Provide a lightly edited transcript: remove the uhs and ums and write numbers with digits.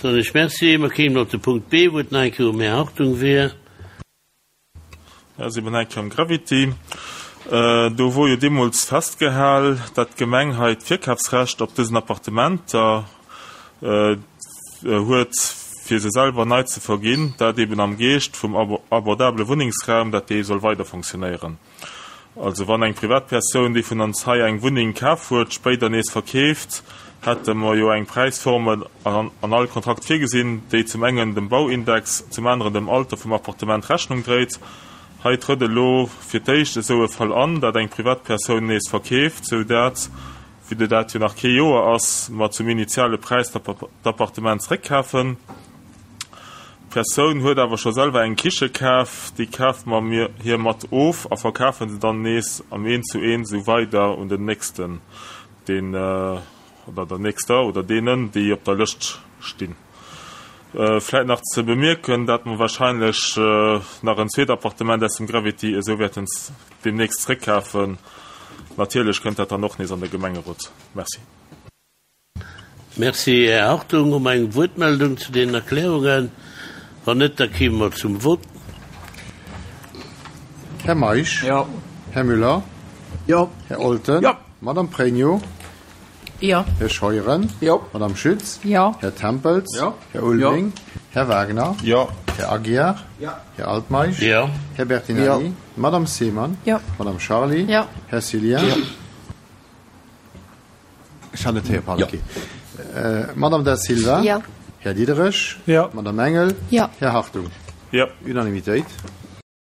Soen ech Merci. Mer kéimen op de Punkt B, wou et nach eng Kéier um Här Hartung wier. Ja, si mer nach eng Kéier um Gravity. Do wor jo deemools festgehal, dat d'Gemeng hei d'Virkafsrecht op dësen Appartementer huet, fir se selwer nei ze verginn, dat eben am Geescht vum abordabele Wunnengsraum, dat dee soll weider fonctionnéieren. Also wann eng Privatpersoun, déi vun ons hei eng Wunneng kaf huet, spéider nees verkeeft, hätte mer jo eng Präisformel an all Kontrakt virgesinn, déi zum engen dem Bauindex, zum aneren dem Alter vum Appartement Rechnung dréit. Hei trëtt elo fir d'éischt esou e Fall an, dat eng Privatpersoun nees verkeeft, sou dat, vue de dat jo nach kee Joer ass, mer zum initiale Präis d'Appartement zréckkafen. D'Persoun huet awer scho selwer eng Kiche kaf, déi kafe mer mir hir mat of a verkafe se dann nees am Eent zu Eent esou weider un den nächsten, deen oder der nächster oder deenen, déi op der Lëscht stinn. Vläit nach ze bemierken, dat mer wahrscheinlech nach en zweet Appartement aus dem Gravity esou wäerten deemnächst zréckkafen. Natierlech kënnt dat dann och nees an de Gemengerot. Merci. Merci, Här Hartung. Hu mer eng Wuertmeldung zu deenen Erklärungen? Wann net, da kime mer zum Vott. Här Meisch? Jo. Här Müller? Jo. Här Olten? Jo. Madame Pregno? Jo. Här Scheuren? Jo. Madame Schütz? Jo. Här Tempels? Jo. Här Ulveling? Här Wagner? Jo. Här Aguiar? Jo. Här Altmeisch? Jo. Här Bertinelli? Jo. Madame Seemann? Jo. Madame Charly? Jo. Här Cillien? Jo. Ech hat net héieren, pardon. Madame Da Silva? Jo. Här Diderich? Jo. Madame Engel? Jo. Här Hartung? Jo. Unanimitéit.